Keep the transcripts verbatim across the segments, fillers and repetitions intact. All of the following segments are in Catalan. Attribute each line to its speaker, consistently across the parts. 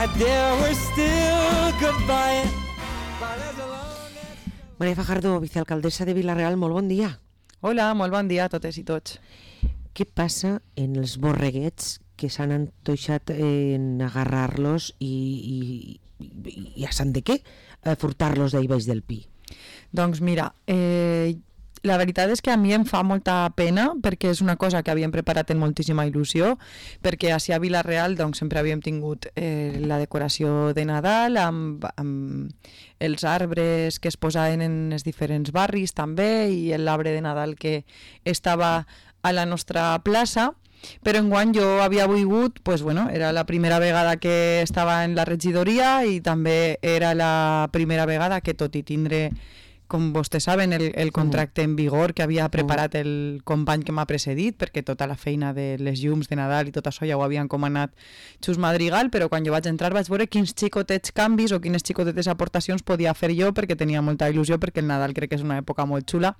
Speaker 1: My dear, we're still goodbye.
Speaker 2: Maria Fajardo, vicealcaldessa de Vila-real, molt bon dia.
Speaker 3: Hola, molt bon dia a totes i tots.
Speaker 2: Què passa en els borreguets que s'han antoixat en agarrar-los i, i, i, i a sant de què? A furtar-los d'ahí baix del pi?
Speaker 3: Doncs mira, eh, la veritat és que a mi em fa molta pena perquè és una cosa que havíem preparat en moltíssima il·lusió, perquè així a Vila-real doncs, sempre havíem tingut eh, la decoració de Nadal amb, amb els arbres que es posaven en els diferents barris també i l'arbre de Nadal que estava a la nostra plaça, però enguany jo havia volgut, pues, bueno, era la primera vegada que estava en la regidoria i també era la primera vegada que, tot i tindre, com vostès saben, el, el contracte en vigor que havia preparat el company que m'ha precedit, perquè tota la feina de les llums de Nadal i tot això ja ho havia encomanat Xus Madrigal, però quan jo vaig entrar vaig veure quins xicotets canvis o quines xicotetes aportacions podia fer jo, perquè tenia molta il·lusió, perquè el Nadal crec que és una època molt xula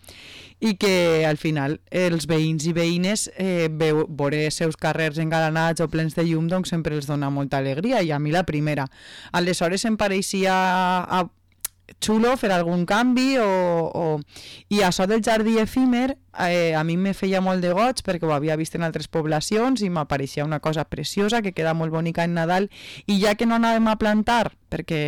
Speaker 3: i que al final els veïns i veïnes eh, veu, veure els seus carrers engalanats o plens de llum doncs sempre els dona molta alegria i a mi la primera. Aleshores em pareixia a xulo fer algun canvi o, o... i això del jardí efímer eh, a mi me feia molt de goig perquè ho havia vist en altres poblacions i m'apareixia una cosa preciosa que queda molt bonica en Nadal i ja que no anàvem a plantar perquè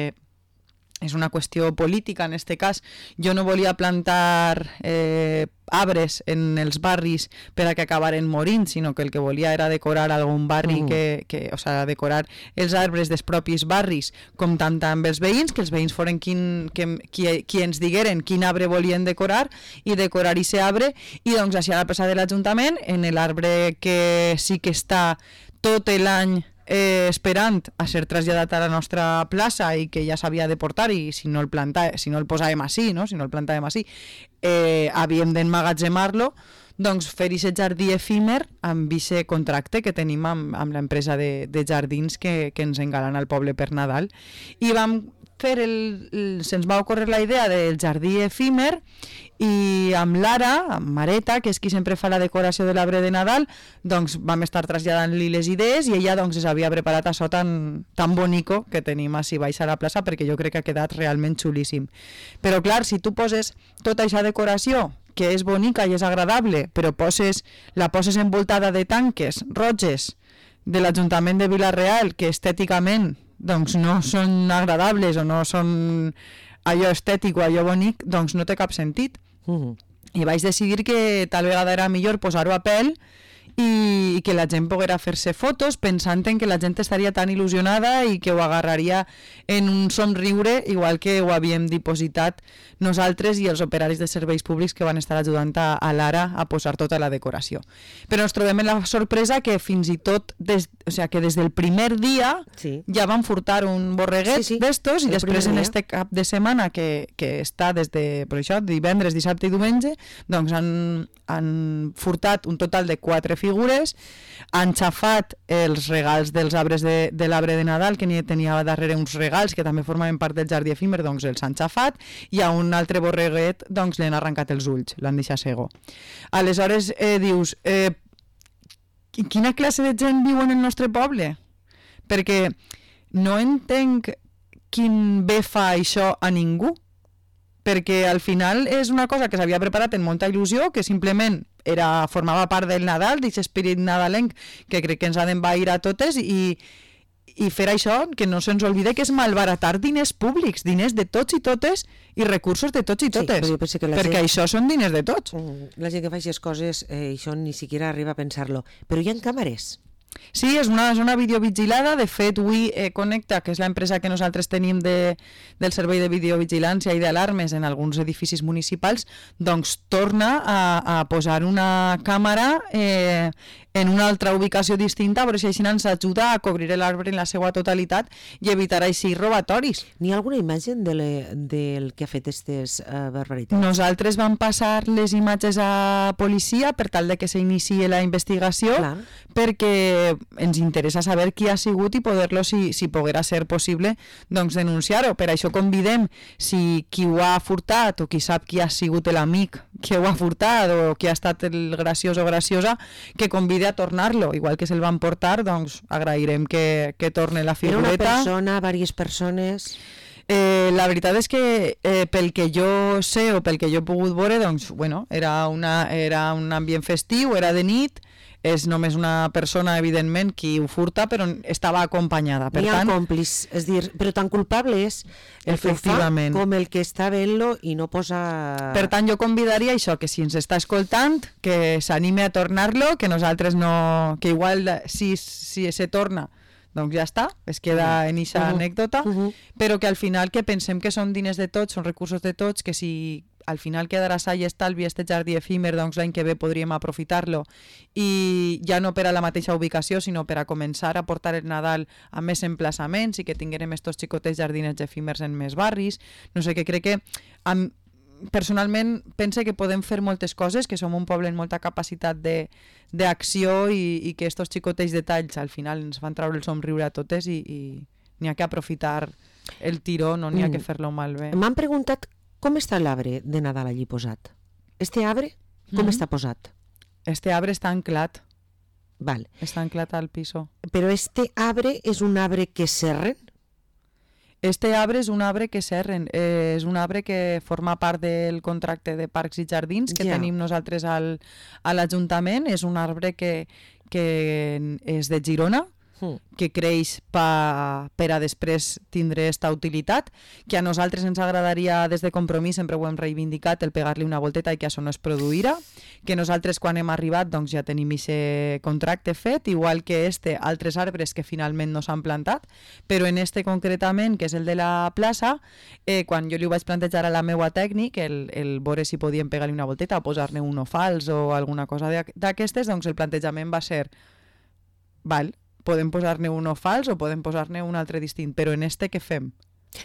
Speaker 3: és una qüestió política en este cas, jo no volia plantar eh, arbres en els barris per a que acabaren morint, sinó que el que volia era decorar algun barri, mm. que, que, o sigui, decorar els arbres dels propis barris, com tant amb els veïns, que els veïns foren quin, que, qui, qui ens digueren quin arbre volien decorar i decorar aquest arbre, i doncs així a la plaça de l'Ajuntament, en l'arbre que sí que està tot l'any Eh, esperant a ser traslladat a la nostra plaça i que ja s'havia de portar i si no el planta, si no el posàvem així, no? si no el plantàvem així, eh, havíem d'emmagatzemar-lo, doncs fer aquest jardí efímer amb aquest contracte que tenim amb, amb l'empresa de, de jardins que, que ens engalana el poble per Nadal. I vam fer el, el, se'ns va ocórrer la idea del jardí efímer i amb l'Ara, amb Mareta, que és qui sempre fa la decoració de l'arbre de Nadal, doncs vam estar traslladant-li les idees i ella doncs es havia preparat això tan, tan bonico que tenim així baix a la plaça perquè jo crec que ha quedat realment xulíssim. Però clar, si tu poses tota aquesta decoració que és bonica i és agradable, però poses, la poses envoltada de tanques roges de l'Ajuntament de Vila-real que estèticament doncs no són agradables o no són allò estètic o allò bonic, doncs no té cap sentit. Uh-huh. I vaig decidir que tal vegada era millor posar-ho a pèl i que la gent poguera fer-se fotos pensant en que la gent estaria tan il·lusionada i que ho agarraria en un somriure igual que ho havíem dipositat nosaltres i els operaris de serveis públics que van estar ajudant a, a l'Ara a posar tota la decoració. Però ens trobem en la sorpresa que fins i tot des, o sea, que des del primer dia sí. ja van furtar un borreguet sí, sí. d'estos i el després en este cap de setmana que, que està des de per això, divendres, dissabte i diumenge doncs han, han furtat un total de quatre figures, han xafat els regals dels arbres de, de l'arbre de Nadal, que n'hi tenia darrere uns regals que també formaven part del jardí efímer, doncs els han xafat, i a un altre borreguet doncs li han arrencat els ulls, l'han deixat cego. Aleshores eh, dius, eh, quina classe de gent viu en el nostre poble? Perquè no entenc quin bé fa això a ningú, perquè al final és una cosa que s'havia preparat en molta il·lusió, que simplement era, formava part del Nadal, d'aquest espírit nadalenc que crec que ens ha d'envair a totes i, i fer això, que no se'ns oblide que és malbaratar diners públics, diners de tots i totes i recursos de tots i totes, sí, perquè gent, això són diners de tots.
Speaker 2: La gent que fa aquestes coses, eh, això ni siquiera arriba a pensar-lo. Però hi ha càmeres?
Speaker 3: Sí, és una zona videovigilada. De fet, We eh, Connecta, que és l'empresa que nosaltres tenim de, del servei de videovigilància i d'alarmes en alguns edificis municipals, doncs torna a, a posar una càmera eh, en una altra ubicació distinta, però si així ens ajuda a cobrir l'arbre en la seva totalitat i evitar així robatoris.
Speaker 2: N'hi ha alguna imatge de le, del que ha fet aquestes uh, barbaritats?
Speaker 3: Nosaltres vam passar les imatges a policia per tal de que s'iniciï la investigació, clar, perquè ens interessa saber qui ha sigut i poder-lo, si, si poguera ser possible, doncs denunciar-ho. Per això convidem, si qui ho ha furtat o qui sap qui ha sigut l'amic que ho ha furtat o qui ha estat el graciós o graciosa, que convide a tornar-lo, igual que se'l van portar, doncs agrairem que, que torne la
Speaker 2: Era una
Speaker 3: figureta.
Speaker 2: persona, diverses persones...
Speaker 3: Eh, la veritat és que eh, pel que jo sé o pel que jo he pogut veure, doncs, bueno, era, una, era un ambient festiu, era de nit, és només una persona, evidentment, qui ho furta, però estava acompanyada. Per
Speaker 2: N'hi ha
Speaker 3: tant,
Speaker 2: còmpliç, és dir, però tan culpable és el que ho fa
Speaker 3: Efectivament.
Speaker 2: com el que està veient-lo i no posa...
Speaker 3: per tant, jo convidaria això, que si ens està escoltant, que s'anime a tornar-lo, que nosaltres no... que igual si, si se torna, doncs ja està, es queda en eixa
Speaker 2: Uh-huh.
Speaker 3: anècdota,
Speaker 2: Uh-huh.
Speaker 3: però que al final que pensem que són diners de tots, són recursos de tots, que si al final quedarà sa i estalvi este jardí efímer, doncs l'any que ve podríem aprofitar-lo i ja no per a la mateixa ubicació, sinó per a començar a portar el Nadal a més emplaçaments i que tinguérem estos xicotets jardinets efímers en més barris. No sé, que crec que amb, personalment pense que podem fer moltes coses, que som un poble amb molta capacitat de d'acció i, i que estos xicotets detalls al final ens fan treure el somriure a totes i, i n'hi ha que aprofitar el tiró, no n'hi ha que fer-lo malbé.
Speaker 2: M'han preguntat com està l'arbre de Nadal allí posat. Este arbre, com
Speaker 3: Mhm.
Speaker 2: està posat?
Speaker 3: Este arbre està anclat,
Speaker 2: Val.
Speaker 3: està anclat al piso.
Speaker 2: Però este arbre és un arbre que serren?
Speaker 3: Este arbre és un arbre que serren, eh, és un arbre que forma part del contracte de parcs i jardins que
Speaker 2: Ja.
Speaker 3: tenim nosaltres al, a l'Ajuntament. És un arbre que, que és de Girona,
Speaker 2: Mm.
Speaker 3: que creix pa, per a després tindre esta utilitat, que a nosaltres ens agradaria des de Compromís, sempre ho hem reivindicat, el pegar-li una volteta i que això no es produirà, que nosaltres quan hem arribat doncs ja tenim aquest contracte fet, igual que este, altres arbres que finalment no s'han plantat, però en este concretament, que és el de la plaça, eh, quan jo li ho vaig plantejar a la meua tècnic, el, el veure si podíem pegar-li una volteta o posar-ne un o fals o alguna cosa d'aquestes, doncs el plantejament va ser, val, podem posar-ne un o fals o podem posar-ne un altre distint, però en este què fem?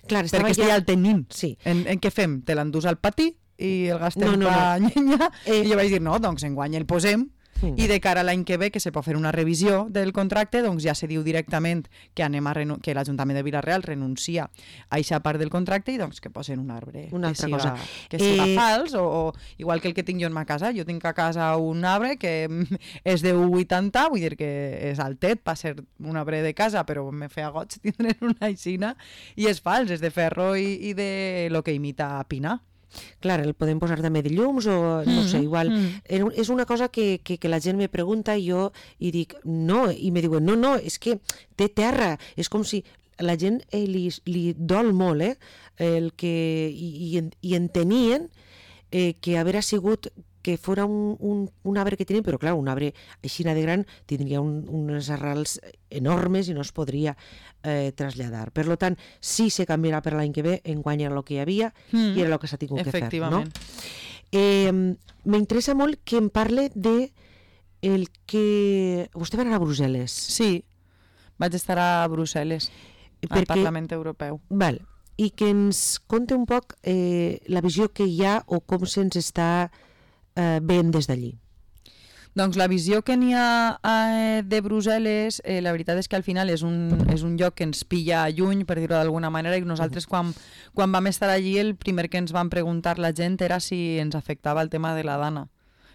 Speaker 2: Clar, estava
Speaker 3: Perquè este ja el tenim.
Speaker 2: Sí.
Speaker 3: En, en què fem? Te l'endús al pati i el gastem
Speaker 2: No, no,
Speaker 3: pa llenya?
Speaker 2: Eh.
Speaker 3: I jo vaig dir, no, doncs enguany el posem
Speaker 2: Mm.
Speaker 3: i de cara a l'any que ve, que se pot fer una revisió del contracte, doncs ja se diu directament que anem a renu- que l'Ajuntament de Vila-real renuncia a eixa part del contracte i doncs que posen un arbre
Speaker 2: Una altra
Speaker 3: que siga,
Speaker 2: cosa.
Speaker 3: que siga
Speaker 2: Eh,
Speaker 3: fals o, o igual que el que tinc jo en ma casa. Jo tinc a casa un arbre que mm, és de u coma vuitanta, vull dir que és altet per ser un arbre de casa, però me feia goig tindre una aixina i és fals, és de ferro i, i de lo que imita pinar.
Speaker 2: Clar, el podem posar també de llums o no sé,
Speaker 3: Mhm,
Speaker 2: igual.
Speaker 3: mhm.
Speaker 2: Era un- És una cosa que, que, que la gent me pregunta i jo i dic, no, i me diuen, no, no, és que té terra, és com si la gent eh, li, li dol molt, eh? El que, i, i, en- i entenien eh, que haver sigut que fora un, un, un arbre que tenien, però clar, un arbre així de gran tindria un, unes arrels enormes i no es podria eh, traslladar. Per lo tant, sí se canviarà per l'any que ve, enguany era el que hi havia
Speaker 3: Mm.
Speaker 2: i era el que s'ha tingut que fer. No?
Speaker 3: Efectivament.
Speaker 2: Eh, M'interessa molt que em parle de el que... Vostè va anar a Brussel·les.
Speaker 3: Sí, vaig estar a Brussel·les, al
Speaker 2: Perquè-
Speaker 3: Parlament Europeu.
Speaker 2: Val. I que ens conte un poc eh, la visió que hi ha o com se'ns està eh, veient des d'allí.
Speaker 3: Doncs la visió que n'hi ha eh, de Brussel·les, eh, la veritat és que al final és un, és un lloc que ens pilla lluny, per dir-ho d'alguna manera, i nosaltres quan, quan vam estar allí el primer que ens van preguntar la gent era si ens afectava el tema de la dana.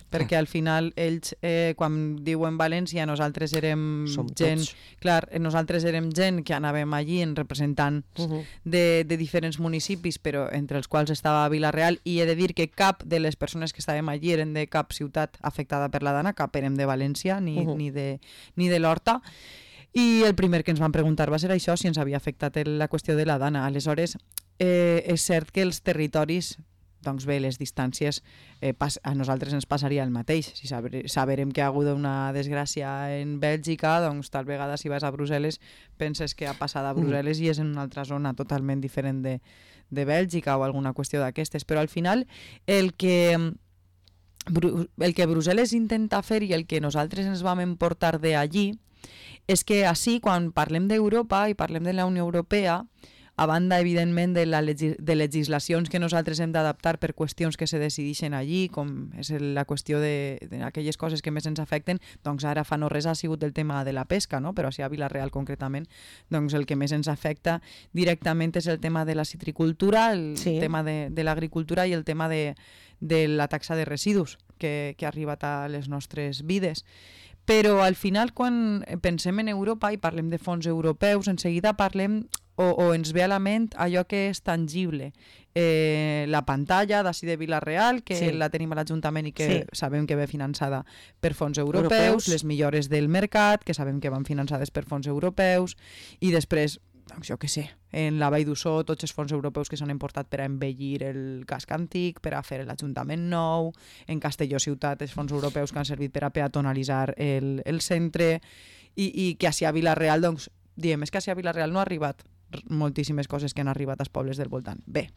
Speaker 3: Perquè al final ells, eh, quan diuen València, nosaltres érem
Speaker 2: Som
Speaker 3: gent...
Speaker 2: tots.
Speaker 3: Clar, eh, nosaltres érem gent que anàvem allí en representants
Speaker 2: Uh -huh.
Speaker 3: de, de diferents municipis, però entre els quals estava Vila-real, i he de dir que cap de les persones que estàvem allí eren de cap ciutat afectada per la dana, cap érem de València ni,
Speaker 2: Uh-huh.
Speaker 3: ni de, ni de l'Horta, i el primer que ens van preguntar va ser això, si ens havia afectat el, la qüestió de la dana. Aleshores, eh, és cert que els territoris, doncs bé, les distàncies, eh, pas, a nosaltres ens passaria el mateix. Si saber, saberem que ha hagut una desgràcia en Bèlgica, doncs tal vegada si vas a Brussel·les penses que ha passat a Brussel·les i és en una altra zona totalment diferent de, de Bèlgica o alguna qüestió d'aquestes. Però al final el que, Bru- el que Brussel·les intenta fer i el que nosaltres ens vam emportar d'allí és que així, quan parlem d'Europa i parlem de la Unió Europea, a banda, evidentment, de, la legi de legislacions que nosaltres hem d'adaptar per qüestions que se decideixen allí, com és la qüestió d'aquelles coses que més ens afecten, doncs ara fa no res ha sigut el tema de la pesca, no? Però així a Vila-real concretament, doncs el que més ens afecta directament és el tema de la citricultura, el
Speaker 2: Sí.
Speaker 3: tema de, de l'agricultura i el tema de, de la taxa de residus que, que ha arribat a les nostres vides. Però al final, quan pensem en Europa i parlem de fons europeus, en seguida parlem o, o ens ve a la ment allò que és tangible. Eh, la pantalla d'ací de Vila-real, que sí. la tenim a l'Ajuntament i que sí. sabem que ve finançada per fons europeus, europeus, les millores del mercat, que sabem que van finançades per fons europeus, i després, doncs jo què sé, en la Vall d'Ussó tots els fons europeus que s'han emportat per a embellir el casc antic, per a fer l'Ajuntament nou, en Castelló ciutat els fons europeus que han servit per a peatonalitzar el, el centre, i, i que així a Vila-real, doncs, diem, és que així a Vila-real no ha arribat moltíssimes coses que han arribat als pobles del voltant. Bé,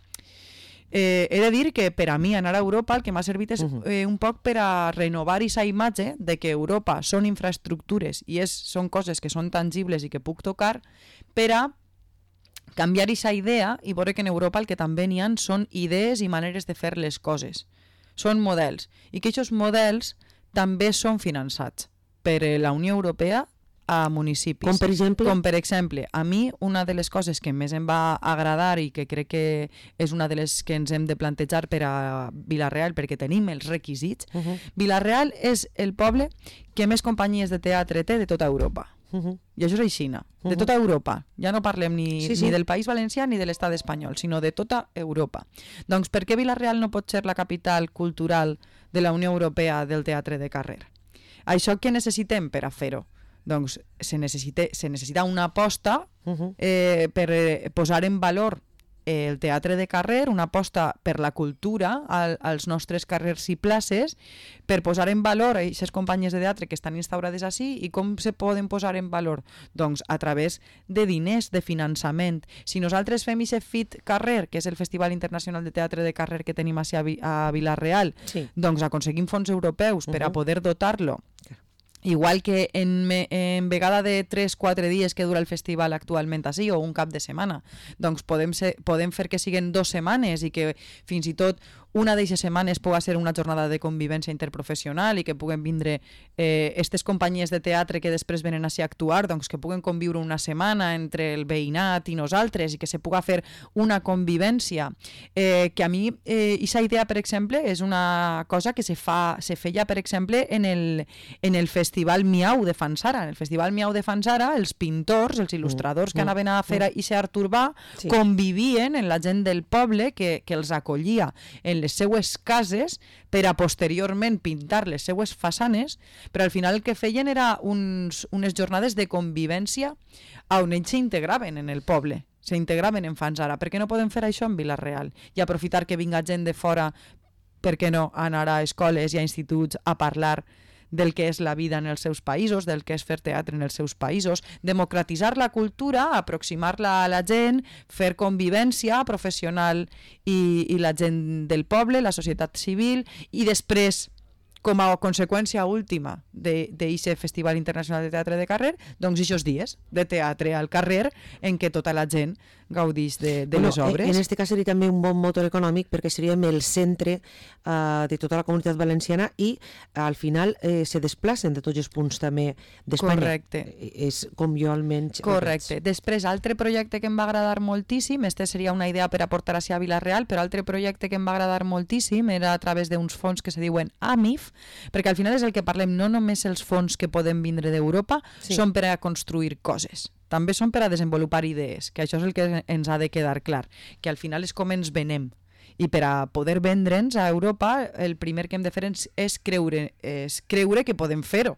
Speaker 3: eh, he de dir que per a mi anar a Europa el que m'ha servit és uh-huh. eh, un poc per a renovar aquesta imatge de que Europa són infraestructures i és, són coses que són tangibles i que puc tocar, per a canviar aquesta idea i veure que en Europa el que també n'hi ha són idees i maneres de fer les coses. Són models. I que aquests models també són finançats per la Unió Europea a municipis.
Speaker 2: Com per exemple?
Speaker 3: Com per exemple, a mi una de les coses que més em va agradar i que crec que és una de les que ens hem de plantejar per a Vila-real perquè tenim els requisits, uh-huh. Vila-real és el poble que més companyies de teatre té de tota Europa. Uh-huh. I això és així, de uh-huh. tota Europa. Ja no parlem ni, sí, sí. ni del País Valencià ni de l'estat espanyol, sinó de tota Europa. Doncs per què Vila-real no pot ser la capital cultural de la Unió Europea del teatre de carrer? Això què necessitem per a fer-ho? Doncs se necessita, se necessita una aposta uh-huh. eh, per eh, posar en valor eh, el teatre de carrer, una aposta per la cultura al, als nostres carrers i places, per posar en valor aquestes companyies de teatre que estan instaurades així. I com se poden posar en valor? Doncs a través de diners, de finançament. Si nosaltres fem aquest FIT Carrer, que és el Festival Internacional de Teatre de Carrer que tenim així a, a Vila-real, sí. doncs aconseguim fons europeus uh-huh. per a poder dotar-lo. Igual que en, me, en vegada de tres quatre dies que dura el festival actualment així, o un cap de setmana, doncs podem, ser, podem fer que siguin dues setmanes i que fins i tot una d'aquestes setmanes pugui ser una jornada de convivència interprofessional i que puguen vindre eh, aquestes companyies de teatre que després venen així a actuar, doncs que puguen conviure una setmana entre el veïnat i nosaltres i que se pugui fer una convivència. Eh, que a mi, aquesta eh, idea, per exemple, és una cosa que se, fa, se feia, per exemple, en el, en el Festival Miau de Fanzara. En el Festival Miau de Fanzara, els pintors, els il·lustradors que anaven a fer aquest art urbà sí. convivien en la gent del poble que, que els acollia en les seues cases per a posteriorment pintar les seues façanes, però al final el que feien era uns, unes jornades de convivència on ells s'integraven en el poble, s'integraven en Fanzara. Per què no podem fer això en Vila-real? I aprofitar que vinga gent de fora, per què no, a anar a escoles i a instituts a parlar del que és la vida en els seus països, del que és fer teatre en els seus països, democratitzar la cultura, aproximar-la a la gent, fer convivència professional i, i la gent del poble, la societat civil, i després, com a conseqüència última d'aquest Festival Internacional de Teatre de Carrer, doncs aquests dies de teatre al carrer en què tota la gent gaudís de, de bueno, les obres.
Speaker 2: En aquest cas seria també un bon motor econòmic perquè seríem el centre uh, de tota la comunitat valenciana i al final eh, se desplacen de tots els punts també d'Espanya.
Speaker 3: Correcte.
Speaker 2: És com jo almenys...
Speaker 3: Correcte. Després, altre projecte que em va agradar moltíssim, este seria una idea per aportar així a Vila-real, però altre projecte que em va agradar moltíssim era a través d'uns fons que se diuen A M I F, perquè al final és el que parlem, no només els fons que poden vindre d'Europa sí. són per a construir coses, també són per a desenvolupar idees, que això és el que ens ha de quedar clar, que al final és com ens venem. I per a poder vendre'ns a Europa, el primer que hem de fer és creure, és creure que podem fer-ho.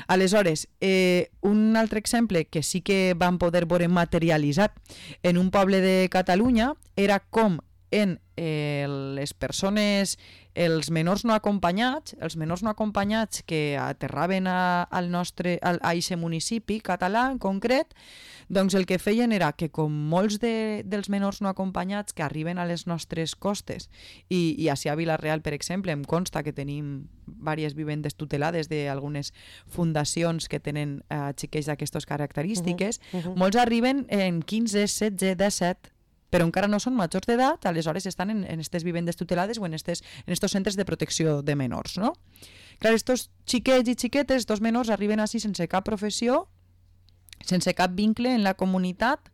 Speaker 3: Aleshores, eh, un altre exemple que sí que vam poder veure materialitzat en un poble de Catalunya era com en eh, les persones, els menors no acompanyats, els menors no acompanyats que aterraven a, al nostre, a, a aquest municipi català en concret, doncs el que feien era que com molts de, dels menors no acompanyats que arriben a les nostres costes, i, i així a Vila-real, per exemple, em consta que tenim diverses vivendes tutelades d'algunes fundacions que tenen eh, xiquets d'aquestes característiques, uh-huh, uh-huh. molts arriben en quinze, setze, disset, però encara no són majors d'edat, aleshores estan en aquestes vivendes tutelades o en estos en estos centres de protecció de menors, no? Clar, estos xiquets i xiquetes, estos menors arriben així sense cap professió, sense cap vincle en la comunitat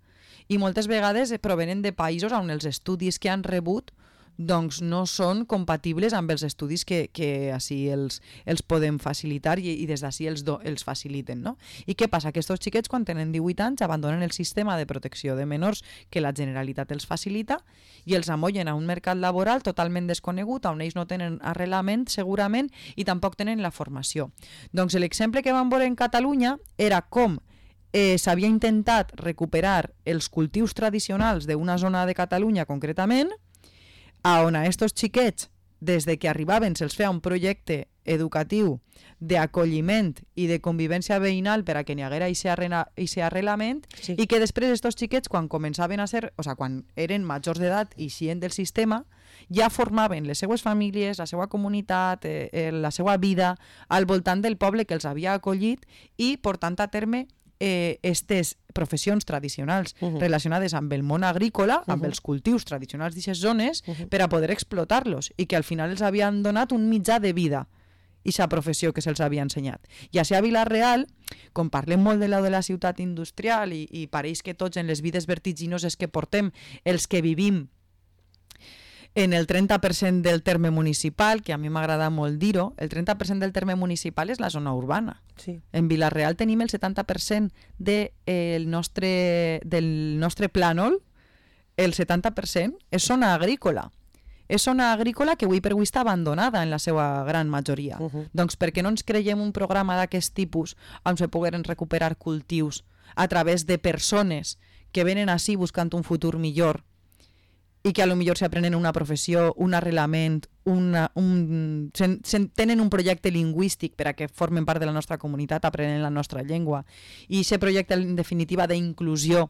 Speaker 3: i moltes vegades provenen de països on els estudis que han rebut doncs no són compatibles amb els estudis que, que així els, els podem facilitar i, i des d'ací els, do, els faciliten. No? I què passa? Que aquests xiquets, quan tenen divuit anys, abandonen el sistema de protecció de menors que la Generalitat els facilita i els amollen a un mercat laboral totalment desconegut, on ells no tenen arrelament, segurament, i tampoc tenen la formació. Doncs l'exemple que vam veure en Catalunya era com eh, s'havia intentat recuperar els cultius tradicionals d'una zona de Catalunya concretament, a on a estos xiquets, des de que arribaven, se'ls feia un projecte educatiu d'acolliment i de convivència veïnal per a que n'hi haguera aquest arrelament, sí. I que després estos xiquets, quan començaven a ser, o sigui, quan eren majors d'edat i eixien del sistema, ja formaven les seues famílies, la seva comunitat, eh, eh, la seva vida al voltant del poble que els havia acollit i portant a terme eh, estes professions tradicionals uh -huh. relacionades amb el món agrícola, amb uh -huh. els cultius tradicionals d'aquestes zones, uh -huh. per a poder explotar-los i que al final els havien donat un mitjà de vida i aquesta professió que se'ls havia ensenyat. I així a Vila-real, com parlem molt de la de la ciutat industrial i, i pareix que tots en les vides vertiginoses que portem, els que vivim en el trenta per cent del terme municipal, que a mi m'agrada molt dir-ho, el trenta per cent del terme municipal és la zona urbana.
Speaker 2: Sí.
Speaker 3: En Vila-real tenim el setanta per cent de, eh, el nostre, del nostre plànol, el setanta per cent és zona agrícola. És zona agrícola que avui per avui està abandonada en la seva gran majoria. Uh -huh. Doncs per què no ens creiem un programa d'aquest tipus on se pogueren recuperar cultius a través de persones que venen així buscant un futur millor i que a lo millor s'aprenen una professió, un arrelament, una, un, sen, sen, tenen un projecte lingüístic per a que formen part de la nostra comunitat, aprenen la nostra llengua, i aquest projecte en definitiva d'inclusió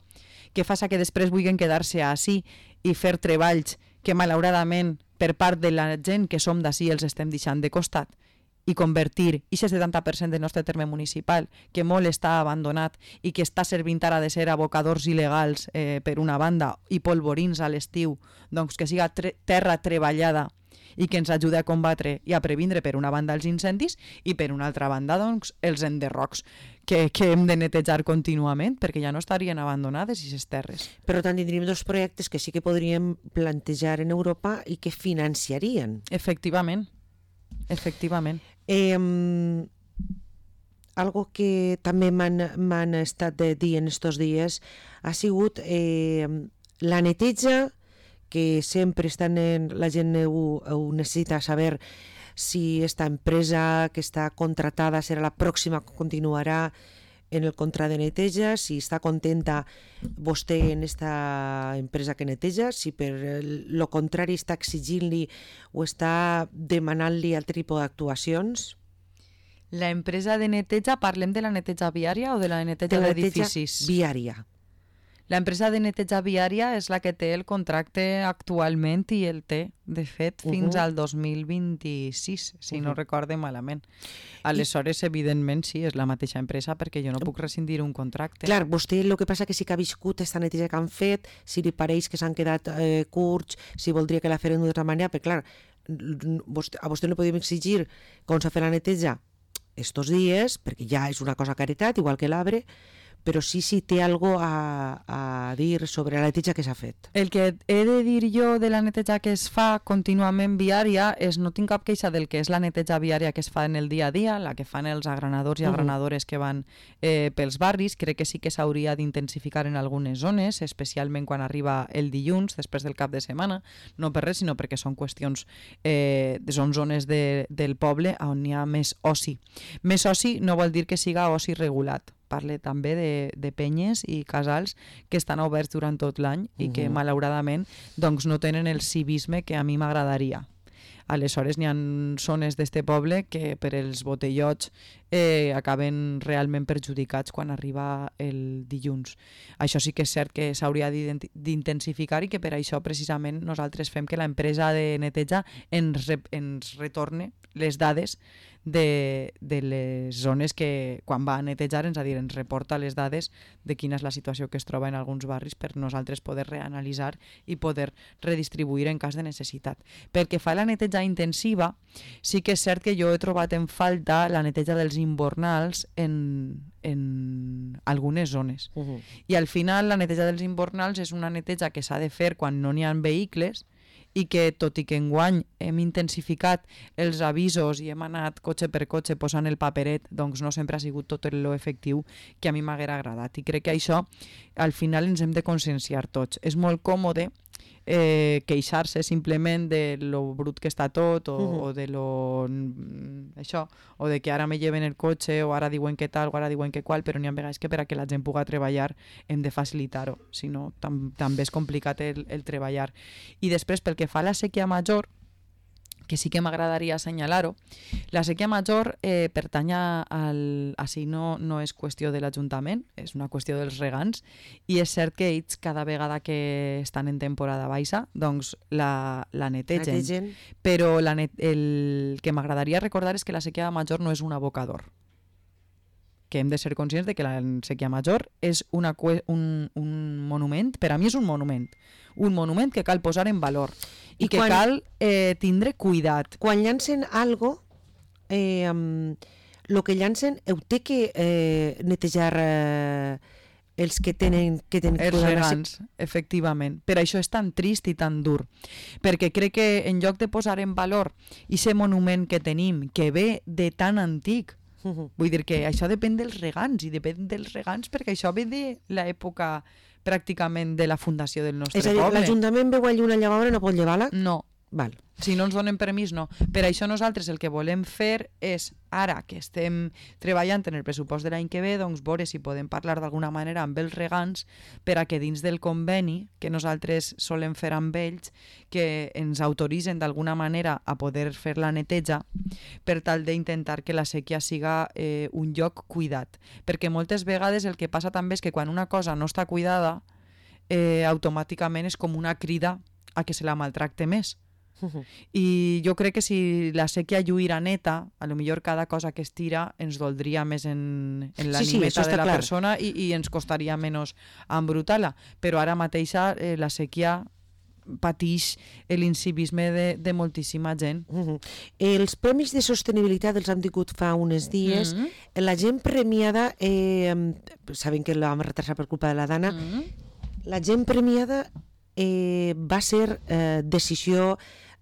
Speaker 3: que fa que després vulguin quedar-se així i fer treballs que malauradament per part de la gent que som d'ací els estem deixant de costat i convertir aquest setanta per cent del nostre terme municipal, que molt està abandonat i que està servint ara de ser abocadors il·legals eh, per una banda i polvorins a l'estiu, doncs que siga tre terra treballada i que ens ajudi a combatre i a previndre per una banda els incendis i per una altra banda doncs els enderrocs que, que hem de netejar contínuament perquè ja no estarien abandonades aquestes terres.
Speaker 2: Per tant, tindríem dos projectes que sí que podríem plantejar en Europa i que financiarien.
Speaker 3: Efectivament, efectivament.
Speaker 2: Eh, algo que també m'han estat dient estos dies ha sigut eh, la neteja, que sempre estan en, la gent ho, ho necessita saber si esta empresa que està contratada serà la pròxima que continuarà en el contrat de neteja, si està contenta vostè en esta empresa que neteja, si per lo contrari està exigint-li o està demanant-li altre tipus d'actuacions.
Speaker 3: La empresa de neteja, parlem de la neteja viària o de la neteja d'edificis?
Speaker 2: De la neteja viària.
Speaker 3: La empresa de neteja viària és la que té el contracte actualment i el té, de fet, fins uh -huh. al dos mil vint-i-sis, si uh -huh. no recorde malament. Aleshores, I... evidentment, sí, és la mateixa empresa perquè jo no puc rescindir un contracte.
Speaker 2: Clar, vostè el que passa que sí que ha viscut aquesta neteja que han fet, si li pareix que s'han quedat eh, curts, si voldria que la feren d'una altra manera, però clar, a vostè no podem exigir com s'ha fet la neteja estos dies, perquè ja és una cosa caritat, igual que l'arbre, però sí, sí, té algo a, a dir sobre la neteja que s'ha fet.
Speaker 3: El que he de dir jo de la neteja que es fa contínuament viària és no tinc cap queixa del que és la neteja viària que es fa en el dia a dia, la que fan els agranadors i agranadores que van eh, pels barris. Crec que sí que s'hauria d'intensificar en algunes zones, especialment quan arriba el dilluns, després del cap de setmana, no per res, sinó perquè són qüestions, eh, són zones de, del poble on hi ha més oci. Més oci no vol dir que siga oci regulat. Parle també de, de penyes i casals que estan oberts durant tot l'any i uh-huh. que malauradament doncs, no tenen el civisme que a mi m'agradaria. Aleshores n'hi ha zones d'este poble que per els botellots eh, acaben realment perjudicats quan arriba el dilluns. Això sí que és cert que s'hauria d'intensificar i que per això precisament nosaltres fem que l'empresa de neteja ens, re, ens retorne les dades de, de les zones que quan va a netejar ens, a dir, ens reporta les dades de quina és la situació que es troba en alguns barris per nosaltres poder reanalitzar i poder redistribuir en cas de necessitat. Perquè fa la neteja intensiva, sí que és cert que jo he trobat en falta la neteja dels invernals en, en algunes zones. Uh-huh. I al final la neteja dels invernals és una neteja que s'ha de fer quan no n'hi ha vehicles i que tot i que enguany hem intensificat els avisos i hem anat cotxe per cotxe posant el paperet, doncs no sempre ha sigut tot lo efectiu que a mi m'haguera agradat. I crec que això al final ens hem de conscienciar tots. És molt còmode eh, queixar-se simplement de lo brut que està tot o, uh-huh. o de lo això, o de que ara me lleven el cotxe o ara diuen que tal o ara diuen que qual, però n'hi ha vegades que per a que la gent pugui treballar hem de facilitar-ho, si no tam també és complicat el, el treballar. I després, pel que fa a la sèquia major, que sí que m'agradaria assenyalar-ho, la sèquia major eh, pertany al... Així no, no és qüestió de l'Ajuntament, és una qüestió dels regants, i és cert que ells cada vegada que estan en temporada baixa, doncs la, la netegen. netegen. Però la net, el que m'agradaria recordar és que la sèquia major no és un abocador. Que hem de ser conscients de que la sèquia major és una, un, un monument, per a mi és un monument, un monument que cal posar en valor i, I que quan, cal eh, tindre cuidat.
Speaker 2: Quan llancen algo, eh, um, lo que llancen ho té que eh, netejar eh, els que tenen que tenen
Speaker 3: els regants, efectivament. Per això és tan trist i tan dur, perquè crec que en lloc de posar en valor aquest monument que tenim, que ve de tan antic, Uh-huh. vull dir que això depèn dels regants i depèn dels regants perquè això ve de l'època pràcticament de la fundació del nostre
Speaker 2: poble. És a dir,
Speaker 3: poble.
Speaker 2: l'Ajuntament veu allí una llavadora i no pot llevar-la?
Speaker 3: No.
Speaker 2: Val.
Speaker 3: Si no ens donen permís, no. Per això nosaltres el que volem fer és, ara que estem treballant en el pressupost de l'any que ve, doncs veure si podem parlar d'alguna manera amb els regants per a que dins del conveni que nosaltres solem fer amb ells, que ens autoritzen d'alguna manera a poder fer la neteja per tal d'intentar que la sèquia siga eh, un lloc cuidat. Perquè moltes vegades el que passa també és que quan una cosa no està cuidada, eh, automàticament és com una crida a que se la maltracte més. Uh-huh. I jo crec que si la sèquia lluïra neta, a lo millor cada cosa que es tira ens doldria més en, en l'animeta sí, sí, de la clar. persona i, i ens costaria menys embrutar-la. Però ara mateixa eh, la sèquia pateix l'incivisme de, de moltíssima gent.
Speaker 2: Uh-huh. Els premis de sostenibilitat els han tingut fa uns dies. Uh-huh. La gent premiada, eh, saben que la vam retrasar per culpa de la Dana, uh-huh. la gent premiada eh, va ser eh, decisió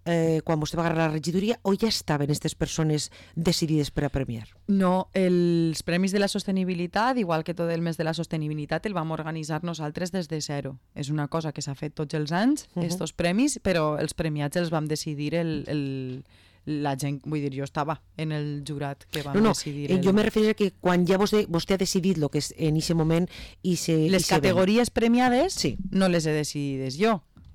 Speaker 2: eh, quan vostè va agarrar la regidoria o ja estaven aquestes persones decidides per a premiar?
Speaker 3: No, els Premis de la Sostenibilitat, igual que tot el mes de la sostenibilitat, el vam organitzar nosaltres des de zero. És una cosa que s'ha fet tots els anys, uh-huh. estos premis, però els premiats els vam decidir el... el la gent, vull dir, jo estava en el jurat que vam
Speaker 2: no, no,
Speaker 3: decidir...
Speaker 2: El... Jo me refereixo que quan ja vostè, vostè ha decidit el que és en aquest moment i se...
Speaker 3: Les
Speaker 2: i
Speaker 3: categories
Speaker 2: se
Speaker 3: premiades
Speaker 2: sí.
Speaker 3: no les he decidides jo,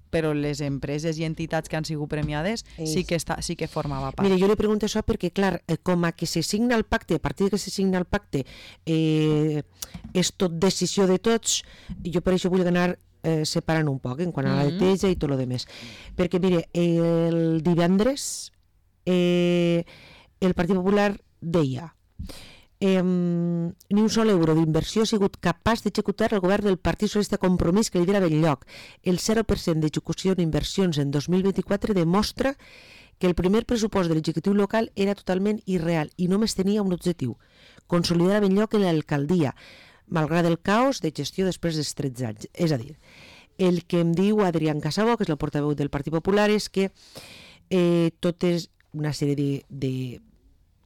Speaker 3: però les empreses i entitats que han sigut premiades sí que, està, sí que formava part.
Speaker 2: Mira, jo li pregunto això perquè, clar, com a que se signa el pacte, a partir que se signa el pacte, eh, és tot decisió de tots, jo per això vull anar eh, separant un poc en quant a la
Speaker 3: mm-hmm.
Speaker 2: neteja i tot el demés. Perquè, mire, el divendres eh, el Partit Popular deia eh, ni un sol euro d'inversió ha sigut capaç d'executar el govern del Partit Socialista Compromís que lidera Belllloc. El zero per cent d'execució d'inversions en dos mil vint-i-quatre demostra que el primer pressupost de l'executiu local era totalment irreal i només tenia un objectiu: consolidar a Belllloc en l'alcaldia, malgrat el caos de gestió després dels tretze anys. És a dir, el que em diu Adrián Casabó, que és el portaveu del Partit Popular, és que eh, tot és una sèrie de, de,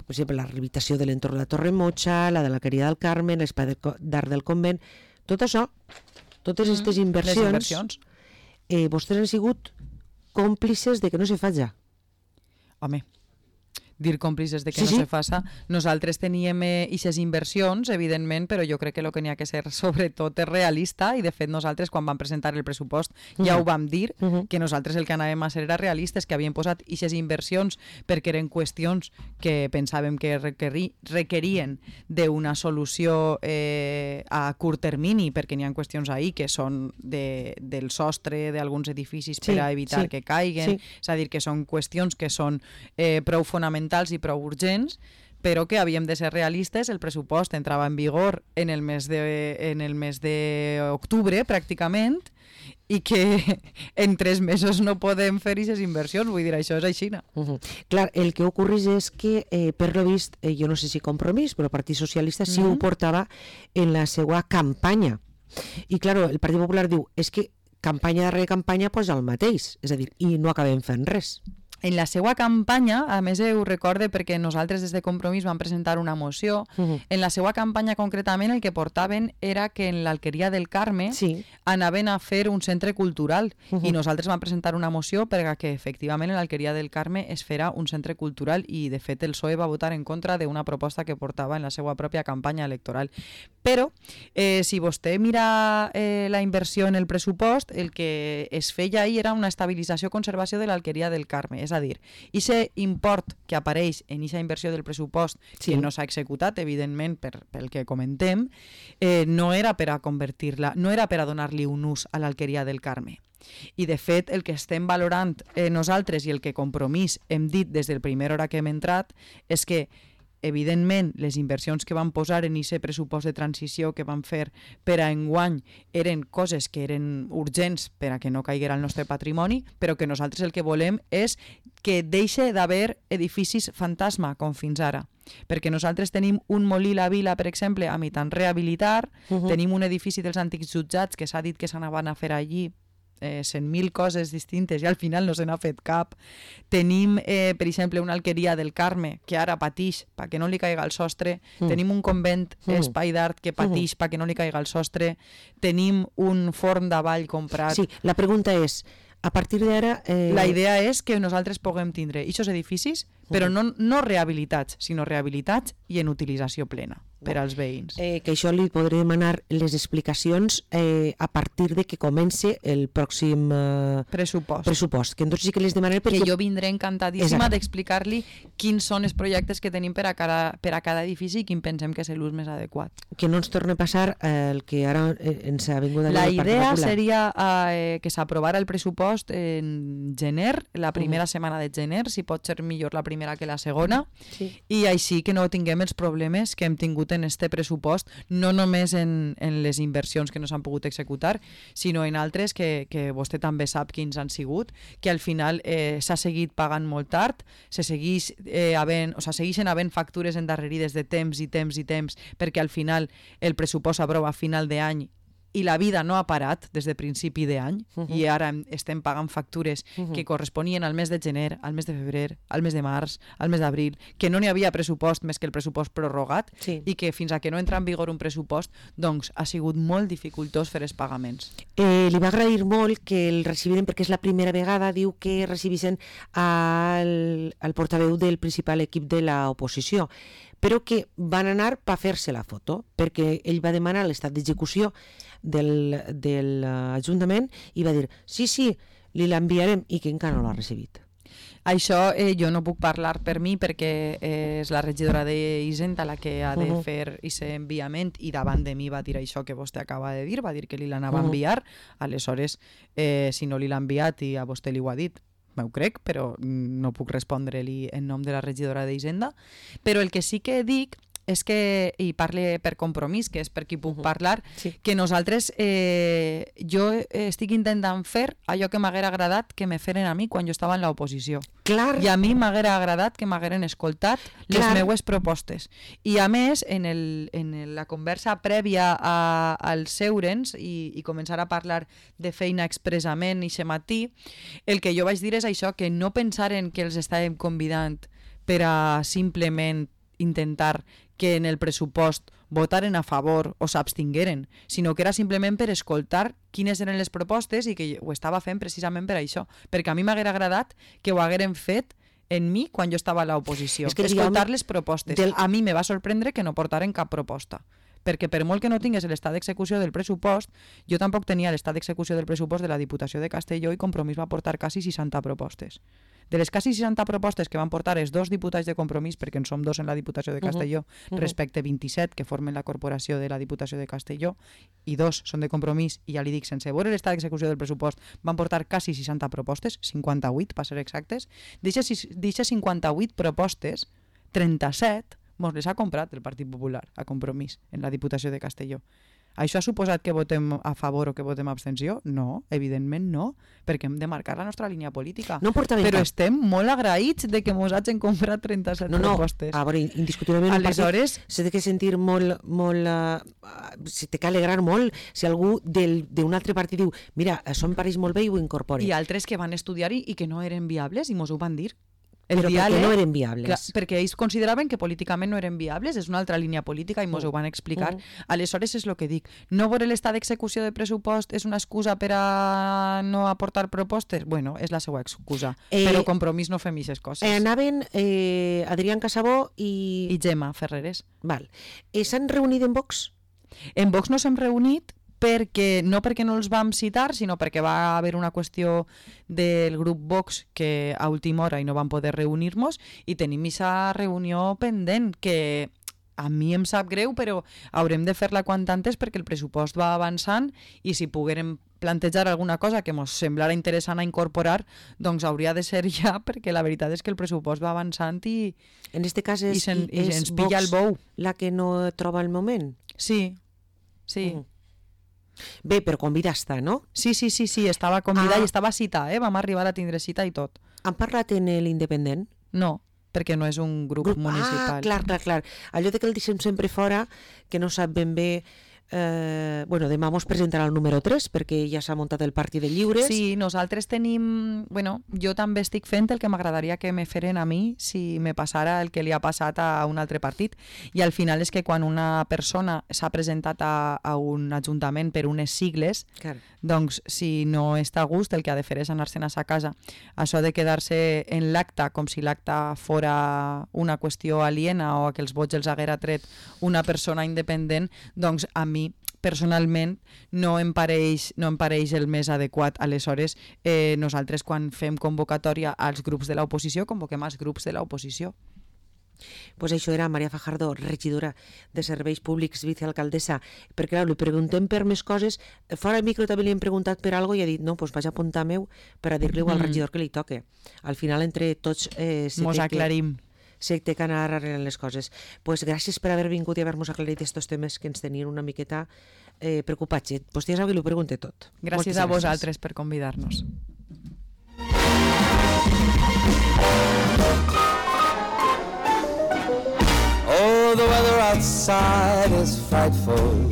Speaker 2: per exemple, la rehabilitació de l'entorn de la Torre Motxa, la de l'Alqueria del Carmen, l'espai d'art del convent, tot això, totes aquestes mm, inversions,
Speaker 3: inversions.
Speaker 2: Eh, vostès han sigut còmplices de que no se faci.
Speaker 3: Home, dir còmplices de que
Speaker 2: sí,
Speaker 3: no
Speaker 2: sí.
Speaker 3: se faça. Nosaltres teníem aquestes eh, inversions, evidentment, però jo crec que el que n'hi ha que ser sobretot és realista i de fet nosaltres quan vam presentar el pressupost uh-huh. ja ho vam dir, uh-huh. que nosaltres el que anàvem a ser era realistes, que havíem posat aquestes inversions perquè eren qüestions que pensàvem que requerir, requerien d'una solució eh, a curt termini, perquè n'hi ha qüestions ahí que són de, del sostre d'alguns edificis sí, per a evitar sí, que caiguen, sí. és a dir, que són qüestions que són eh, prou fonamentals i prou urgents, però que havíem de ser realistes. El pressupost entrava en vigor en el mes de, en el mes d'octubre, pràcticament, i que en tres mesos no podem fer aquestes inversions, vull dir, això és així.
Speaker 2: Uh-huh. Clar, el que ocorreix és que, eh, per lo vist, eh, jo no sé si Compromís, però el Partit Socialista sí uh-huh. ho portava en la seva campanya. I, clar, el Partit Popular diu, és que campanya darrere campanya posa el mateix, és a dir, i no acabem fent res.
Speaker 3: En la seva campanya, a més ho recorde perquè nosaltres des de Compromís vam presentar una moció, uh-huh. en la seva campanya concretament el que portaven era que en l'Alqueria del Carme sí. anaven a fer un centre cultural uh-huh. i nosaltres vam presentar una moció perquè efectivament en l'Alqueria del Carme es farà un centre cultural i de fet el P S O E va votar en contra d'una proposta que portava en la seva pròpia campanya electoral. Però eh, si vostè mira eh, la inversió en el pressupost, el que es feia ahir era una estabilització i conservació de l'Alqueria del Carme. És a dir, aquest import que apareix en aquesta inversió del pressupost sí. que no s'ha executat, evidentment, per, pel que comentem, eh, no era per a convertir-la, no era per a donar-li un ús a l'Alqueria del Carme. I, de fet, el que estem valorant eh, nosaltres i el que Compromís hem dit des del primer hora que hem entrat és que evidentment, les inversions que van posar en aquest pressupost de transició que van fer per a enguany eren coses que eren urgents per a que no caiguera el nostre patrimoni, però que nosaltres el que volem és que deixe d'haver edificis fantasma, com fins ara. Perquè nosaltres tenim un molí la Vila, per exemple, a mitant rehabilitar, uh-huh. tenim un edifici dels antics jutjats que s'ha dit que s'anaven a fer allí Eh, cent mil coses distintes i al final no se n'ha fet cap. Tenim, eh, per exemple, una alqueria del Carme que ara patix perquè no li caiga el sostre. Mm. Tenim un convent mm. espai d'art que patix mm. perquè no li caiga el sostre. Tenim un forn d'avall comprat.
Speaker 2: Sí, la pregunta és, a partir d'ara... Eh...
Speaker 3: La idea és que nosaltres puguem tindre aquests edificis, però no, no rehabilitats, sinó rehabilitats i en utilització plena per als veïns.
Speaker 2: Eh, que això li podré demanar les explicacions eh, a partir de que comenci el pròxim eh,
Speaker 3: pressupost.
Speaker 2: pressupost. Que entonces sí que les demanaré perquè...
Speaker 3: Que jo vindré encantadíssima d'explicar-li quins són els projectes que tenim per a, cada, per a cada edifici i quin pensem que és l'ús més adequat.
Speaker 2: Que no ens torni a passar eh, el que ara eh, ens ha vingut a dir
Speaker 3: La
Speaker 2: el Partit
Speaker 3: idea
Speaker 2: Popular.
Speaker 3: seria eh, que s'aprovara el pressupost en gener, la primera uh-huh. setmana de gener, si pot ser millor la primera que la segona, sí. i així que no tinguem els problemes que hem tingut en este pressupost, no només en, en les inversions que no s'han pogut executar, sinó en altres que, que vostè també sap quins han sigut, que al final eh, s'ha seguit pagant molt tard, se segueix eh, havent, o sigui, segueixen havent factures endarrerides de temps i temps i temps, perquè al final el pressupost s'aprova a final d'any i la vida no ha parat des de principi d'any uh-huh. i ara estem pagant factures uh-huh. que corresponien al mes de gener, al mes de febrer, al mes de març, al mes d'abril, que no n'hi havia pressupost més que el pressupost prorrogat sí. i que fins a que no entra en vigor un pressupost doncs ha sigut molt dificultós fer els pagaments.
Speaker 2: Eh, li va agrair molt que el recibiren perquè és la primera vegada, diu que recibissin al, al portaveu del principal equip de l'oposició, però que van anar per fer-se la foto, perquè ell va demanar l'estat d'execució del, de l'Ajuntament i va dir, sí, sí, li l'enviarem, i que encara no l'ha recibit.
Speaker 3: Això eh, jo no puc parlar per mi perquè eh, és la regidora d'Hisenda la que ha de uh-huh. fer aquest enviament i davant de mi va dir això que vostè acaba de dir, va dir que li l'anava uh-huh. a enviar, aleshores eh, si no li l'ha enviat i a vostè li ho ha dit, m'ho crec, però no puc respondre-li en nom de la regidora d'Hisenda. Però el que sí que dic és que, i parle per Compromís, que és per qui puc uh-huh. parlar, sí. que nosaltres, eh, jo estic intentant fer allò que m'haguera agradat que me feren a mi quan jo estava en l'oposició.
Speaker 2: Clar.
Speaker 3: I a mi m'haguera agradat que m'hagueren escoltat les Clar. meues propostes. I a més, en, el, en la conversa prèvia a, als seurens i, i començar a parlar de feina expressament i aquest matí, el que jo vaig dir és això, que no pensaren que els estàvem convidant per a simplement intentar que en el pressupost votaren a favor o s'abstingueren, sinó que era simplement per escoltar quines eren les propostes i que ho estava fent precisament per això, perquè a mi m'haguera agradat que ho hagueren fet en mi quan jo estava a l'oposició, es que escoltar les propostes. Del... A mi me va sorprendre que no portaren cap proposta, perquè per molt que no tingués l'estat d'execució del pressupost, jo tampoc tenia l'estat d'execució del pressupost de la Diputació de Castelló i Compromís va portar quasi seixanta propostes. De les quasi seixanta propostes que van portar els dos diputats de Compromís, perquè en som dos en la Diputació de Castelló, uh-huh. Uh-huh. respecte vint-i-set que formen la corporació de la Diputació de Castelló, i dos són de Compromís, i ja li dic, sense veure l'estat d'execució del pressupost, van portar quasi seixanta propostes, cinquanta-vuit, per ser exactes. D'eixes cinquanta-vuit propostes, trenta-set mos les ha comprat el Partit Popular a Compromís en la Diputació de Castelló. Això ha suposat que votem a favor o que votem abstenció? No, evidentment no, perquè hem de marcar la nostra línia política.
Speaker 2: No porta
Speaker 3: Però
Speaker 2: cap.
Speaker 3: estem molt agraïts de que mos hagin comprat trenta-set
Speaker 2: No, no,
Speaker 3: propostes.
Speaker 2: a veure, indiscutiblement
Speaker 3: Aleshores-
Speaker 2: s'ha de que sentir molt, molt uh, se té que alegrar molt si algú del- d'un altre partit diu mira, això em pareix molt bé i ho incorpore.
Speaker 3: I altres que van estudiar-hi i que no eren viables i mos ho van dir. El
Speaker 2: Però perquè
Speaker 3: diàleg,
Speaker 2: no eren viables.
Speaker 3: clar, perquè ells consideraven que políticament no eren viables, és una altra línia política i mos ho van explicar.
Speaker 2: Mm.
Speaker 3: Aleshores és el que dic, no veure l'estat d'execució de pressupost és una excusa per a no aportar propostes? Bueno, és la seva excusa,
Speaker 2: Eh,
Speaker 3: però compromís no fem aquestes coses.
Speaker 2: Eh, anaven eh, Adrián Casabó i...
Speaker 3: I Gemma Ferreres.
Speaker 2: Val. Eh, S'han reunit en Vox?
Speaker 3: En Vox no s'hem reunit perquè no perquè no els vam citar, sinó perquè va haver una qüestió del grup Vox que a última hora i no vam poder reunir-nos i tenim aquesta reunió pendent que a mi em sap greu, però haurem de fer-la quant antes perquè el pressupost va avançant i si poguérem plantejar alguna cosa que ens semblara interessant a incorporar, doncs hauria de ser ja, perquè la veritat és que el pressupost va avançant i,
Speaker 2: En este cas és,
Speaker 3: i, sen, i
Speaker 2: és
Speaker 3: ens pilla el
Speaker 2: Vox
Speaker 3: bou.
Speaker 2: la que no troba el moment?
Speaker 3: Sí, sí.
Speaker 2: Mm. Bé, però convida està, no?
Speaker 3: Sí, sí, sí, sí, estava convidada
Speaker 2: Ah.
Speaker 3: i estava cita, eh? Vam arribar a tindre cita i tot.
Speaker 2: Han parlat en l'Independent?
Speaker 3: No, perquè no és un grup,
Speaker 2: Grup-
Speaker 3: municipal.
Speaker 2: Ah, clar, clar, clar. Allò de que el deixem sempre fora, que no sap ben bé... Eh, bueno, demà mos presentarà el número tres perquè ja s'ha muntat el Partit de Lliures.
Speaker 3: Sí, nosaltres tenim... Bueno, jo també estic fent el que m'agradaria que me feren a mi si me passara el que li ha passat a un altre partit. I al final és que quan una persona s'ha presentat a, a un ajuntament per unes sigles,
Speaker 2: Clar.
Speaker 3: doncs si no està a gust el que ha de fer és anar-se'n a sa casa. Això de quedar-se en l'acte com si l'acte fora una qüestió aliena o que els vots els haguera tret una persona independent, doncs a mi personalment no em pareix, no em pareix el més adequat. Aleshores, eh, nosaltres quan fem convocatòria als grups de l'oposició, convoquem als grups de l'oposició.
Speaker 2: Pues això era Maria Fajardo, regidora de Serveis Públics, vicealcaldessa, perquè clar, li preguntem per més coses, fora el micro també li hem preguntat per algo i ha dit, no, pues vaig a apuntar meu per a dir-li al
Speaker 3: Mm.
Speaker 2: regidor que li toque. Al final, entre tots, eh, se
Speaker 3: Mos
Speaker 2: té que,
Speaker 3: aclarim.
Speaker 2: se té que anar arreglant les coses. Pues gràcies per haver vingut i haver-nos aclarit aquests temes que ens tenien una miqueta eh, preocupats. Pues ja sabeu que li pregunte tot.
Speaker 3: Gràcies
Speaker 2: Moltes
Speaker 3: a vosaltres per convidar-nos.
Speaker 1: Oh, the weather outside is frightful.